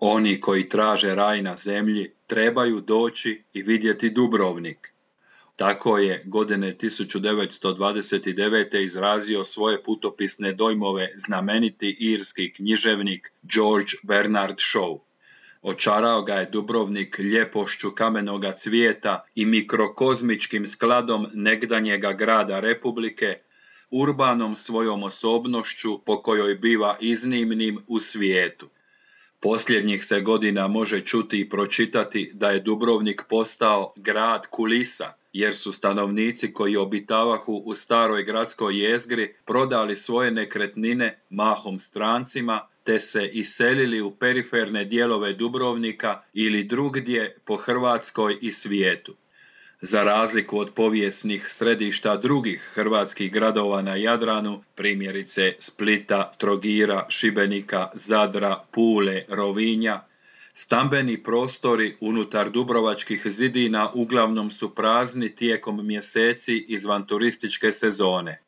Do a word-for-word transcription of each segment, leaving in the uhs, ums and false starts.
Oni koji traže raj na zemlji trebaju doći i vidjeti Dubrovnik. Tako je godine tisuću devetsto dvadeset devete. izrazio svoje putopisne dojmove znameniti irski književnik George Bernard Shaw. Očarao ga je Dubrovnik ljepošću kamenoga cvijeta i mikrokozmičkim skladom negdanjega grada Republike, urbanom svojom osobnošću po kojoj biva iznimnim u svijetu. Posljednjih se godina može čuti i pročitati da je Dubrovnik postao grad kulisa, jer su stanovnici koji obitavahu u staroj gradskoj jezgri prodali svoje nekretnine mahom strancima, te se iselili u periferne dijelove Dubrovnika ili drugdje po Hrvatskoj i svijetu. Za razliku od povijesnih središta drugih hrvatskih gradova na Jadranu, primjerice Splita, Trogira, Šibenika, Zadra, Pule, Rovinja, stambeni prostori unutar dubrovačkih zidina uglavnom su prazni tijekom mjeseci izvan turističke sezone.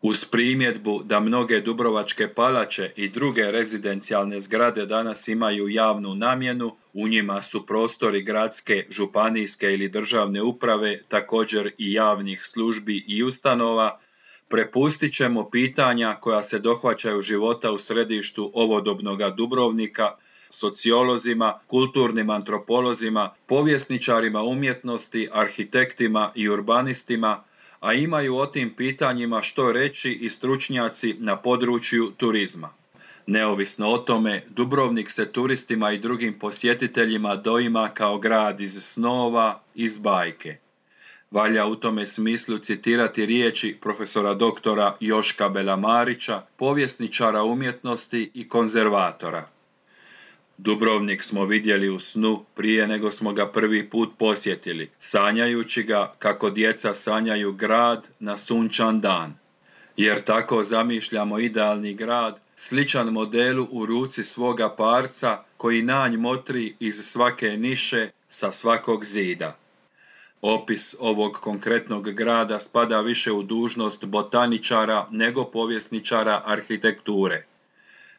Uz primjedbu da mnoge dubrovačke palače i druge rezidencijalne zgrade danas imaju javnu namjenu, u njima su prostori gradske, županijske ili državne uprave, također i javnih službi i ustanova, prepustit ćemo pitanja koja se dohvaćaju života u središtu ovodobnoga Dubrovnika sociolozima, kulturnim antropolozima, povjesničarima umjetnosti, arhitektima i urbanistima, a imaju o tim pitanjima što reći i stručnjaci na području turizma. Neovisno o tome, Dubrovnik se turistima i drugim posjetiteljima doima kao grad iz snova, iz bajke. Valja u tome smislu citirati riječi profesora doktora Joška Belamarića, povjesničara umjetnosti i konzervatora. Dubrovnik smo vidjeli u snu prije nego smo ga prvi put posjetili, sanjajući ga kako djeca sanjaju grad na sunčan dan. Jer tako zamišljamo idealni grad, sličan modelu u ruci svoga parca koji nanj motri iz svake niše sa svakog zida. Opis ovog konkretnog grada spada više u dužnost botaničara nego povjesničara arhitekture.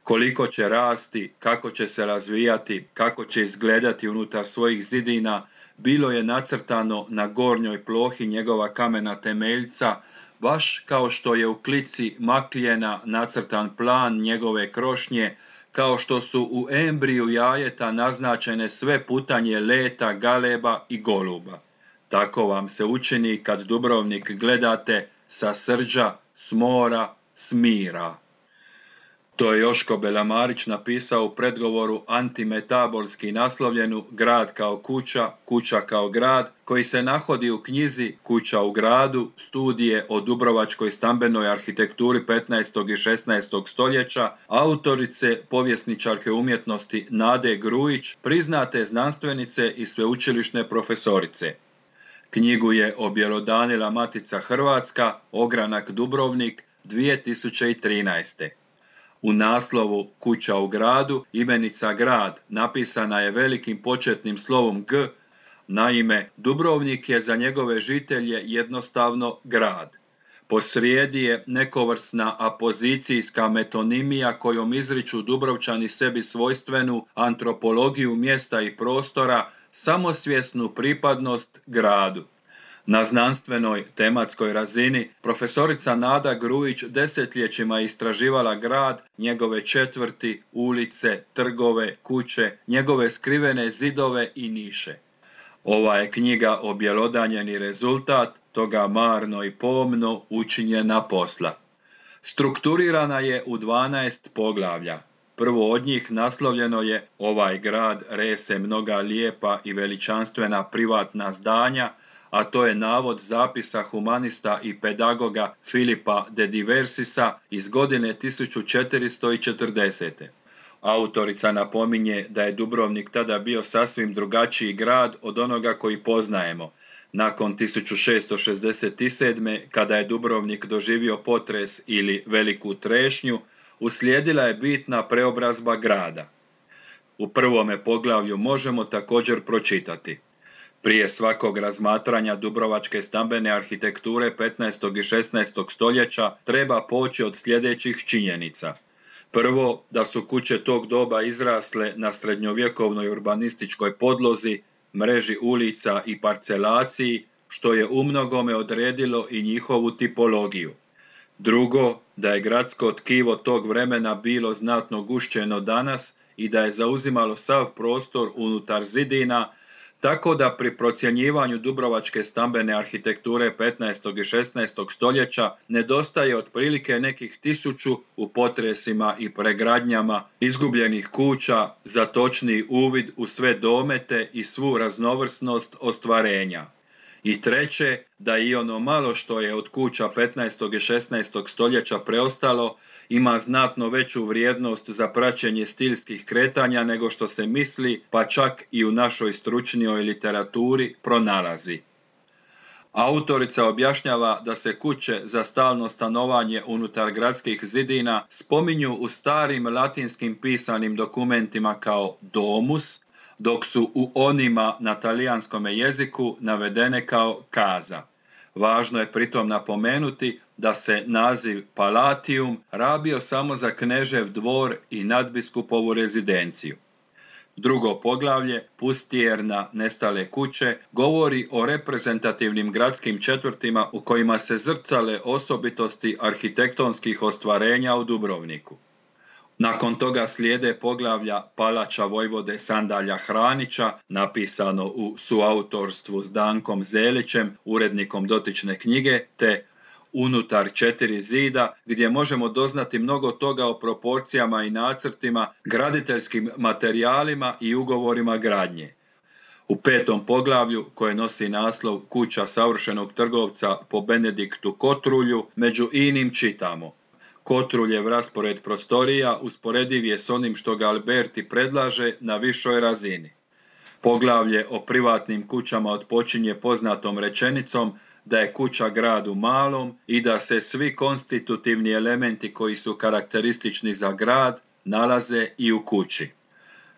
Koliko će rasti, kako će se razvijati, kako će izgledati unutar svojih zidina, bilo je nacrtano na gornjoj plohi njegova kamena temeljca, baš kao što je u klici Makljena nacrtan plan njegove krošnje, kao što su u embriju jajeta naznačene sve putanje leta, galeba i goluba. Tako vam se učini kad Dubrovnik gledate sa Srđa, s mora, s mira. To je Joško Belamarić napisao u predgovoru antimetabolski naslovljenu Grad kao kuća, kuća kao grad, koji se nahodi u knjizi Kuća u gradu, studije o dubrovačkoj stambenoj arhitekturi petnaestog i šesnaestog stoljeća, autorice povjesničarke umjetnosti Nade Grujić, priznate znanstvenice i sveučilišne profesorice. Knjigu je objelodanila Matica Hrvatska, ogranak Dubrovnik, dvije tisuće trinaeste. U naslovu Kuća u gradu imenica grad napisana je velikim početnim slovom G, naime Dubrovnik je za njegove žitelje jednostavno grad. Posrijedi je nekovrsna apozicijska metonimija kojom izriču Dubrovčani sebi svojstvenu antropologiju mjesta i prostora, samosvjesnu pripadnost gradu. Na znanstvenoj tematskoj razini profesorica Nada Grujić desetljećima je istraživala grad, njegove četvrti, ulice, trgove, kuće, njegove skrivene zidove i niše. Ova je knjiga objelodanjeni rezultat toga marno i pomno učinjena posla. Strukturirana je u dvanaest poglavlja. Prvo od njih naslovljeno je Ovaj grad rese mnoga lijepa i veličanstvena privatna zdanja, a to je navod zapisa humanista i pedagoga Filipa de Diversisa iz godine tisuću četiristo četrdesete. Autorica napominje da je Dubrovnik tada bio sasvim drugačiji grad od onoga koji poznajemo. Nakon tisuću šessto šezdeset sedme. kada je Dubrovnik doživio potres ili veliku trešnju, uslijedila je bitna preobrazba grada. U prvome poglavlju možemo također pročitati: prije svakog razmatranja dubrovačke stambene arhitekture petnaestog i šesnaestog stoljeća treba poći od sljedećih činjenica. Prvo, da su kuće tog doba izrasle na srednjovjekovnoj urbanističkoj podlozi, mreži ulica i parcelaciji, što je umnogome odredilo i njihovu tipologiju. Drugo, da je gradsko tkivo tog vremena bilo znatno gušćeno danas i da je zauzimalo sav prostor unutar zidina, tako da pri procjenjivanju dubrovačke stambene arhitekture petnaestog i šesnaestog stoljeća nedostaje otprilike nekih tisuću u potresima i pregradnjama izgubljenih kuća za točniji uvid u sve domete i svu raznovrsnost ostvarenja. I treće, da i ono malo što je od kuća petnaestog i šesnaestog stoljeća preostalo ima znatno veću vrijednost za praćenje stilskih kretanja nego što se misli, pa čak i u našoj stručnijoj literaturi pronalazi. Autorica objašnjava da se kuće za stalno stanovanje unutar gradskih zidina spominju u starim latinskim pisanim dokumentima kao domus, dok su u onima na talijanskom jeziku navedene kao casa. Važno je pritom napomenuti da se naziv Palatium rabio samo za knežev dvor i nadbiskupovu rezidenciju. Drugo poglavlje, Pustierna nestale kuće, govori o reprezentativnim gradskim četvrtima u kojima se zrcale osobitosti arhitektonskih ostvarenja u Dubrovniku. Nakon toga slijede poglavlja Palača vojvode Sandalja Hranića, napisano u suautorstvu s Dankom Zelićem, urednikom dotične knjige, te Unutar četiri zida, gdje možemo doznati mnogo toga o proporcijama i nacrtima, graditeljskim materijalima i ugovorima gradnje. U petom poglavlju, koje nosi naslov Kuća savršenog trgovca po Benediktu Kotrulju, među inim čitamo: Kotruljev raspored prostorija usporediv je s onim što ga Alberti predlaže na višoj razini. Poglavlje o privatnim kućama otpočinje poznatom rečenicom da je kuća grad u malom i da se svi konstitutivni elementi koji su karakteristični za grad nalaze i u kući.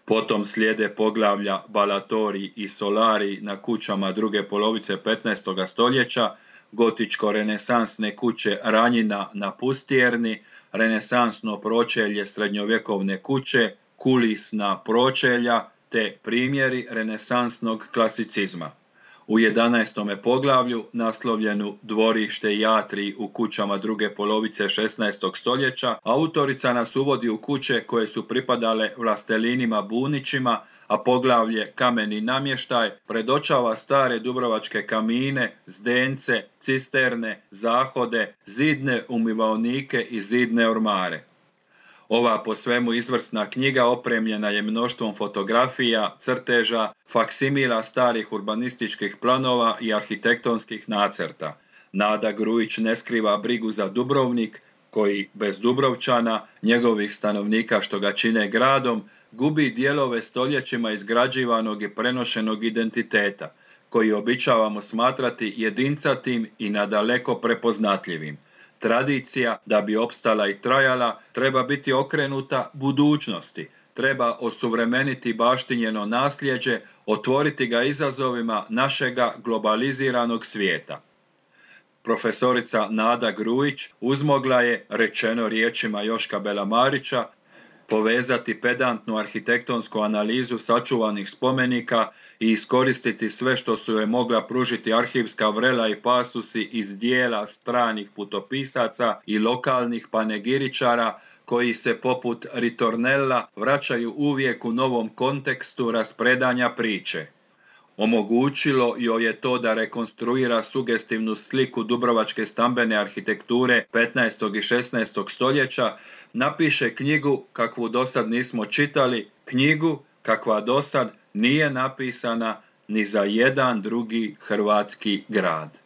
Potom slijede poglavlja Balatori i Solari na kućama druge polovice petnaestog stoljeća, gotičko-renesansne kuće Ranjina na Pustierni, renesansno pročelje srednjovjekovne kuće, kulisna pročelja te primjeri renesansnog klasicizma. U jedanaestome poglavlju, naslovljenu Dvorište i atrij u kućama druge polovice šesnaestog stoljeća, autorica nas uvodi u kuće koje su pripadale vlastelinima Bunićima, a poglavlje Kameni namještaj predočava stare dubrovačke kamine, zdence, cisterne, zahode, zidne umivaonike i zidne ormare. Ova po svemu izvrsna knjiga opremljena je mnoštvom fotografija, crteža, faksimila starih urbanističkih planova i arhitektonskih nacrta. Nada Grujić ne skriva brigu za Dubrovnik, koji bez Dubrovčana, njegovih stanovnika što ga čine gradom, gubi dijelove stoljećima izgrađivanog i prenošenog identiteta, koji običavamo smatrati jedincatim i nadaleko prepoznatljivim. Tradicija, da bi opstala i trajala, treba biti okrenuta budućnosti, treba osuvremeniti baštinjeno nasljeđe, otvoriti ga izazovima našega globaliziranog svijeta. Profesorica Nada Grujić uzmogla je, rečeno riječima Joška Belamarića, povezati pedantnu arhitektonsku analizu sačuvanih spomenika i iskoristiti sve što su joj mogla pružiti arhivska vrela i pasusi iz dijela stranih putopisaca i lokalnih panegiričara koji se poput Ritornella vraćaju uvijek u novom kontekstu raspredanja priče. Omogućilo joj je to da rekonstruira sugestivnu sliku dubrovačke stambene arhitekture petnaestog i šesnaestog stoljeća, napiše knjigu kakvu dosad nismo čitali, knjigu kakva dosad nije napisana ni za jedan drugi hrvatski grad.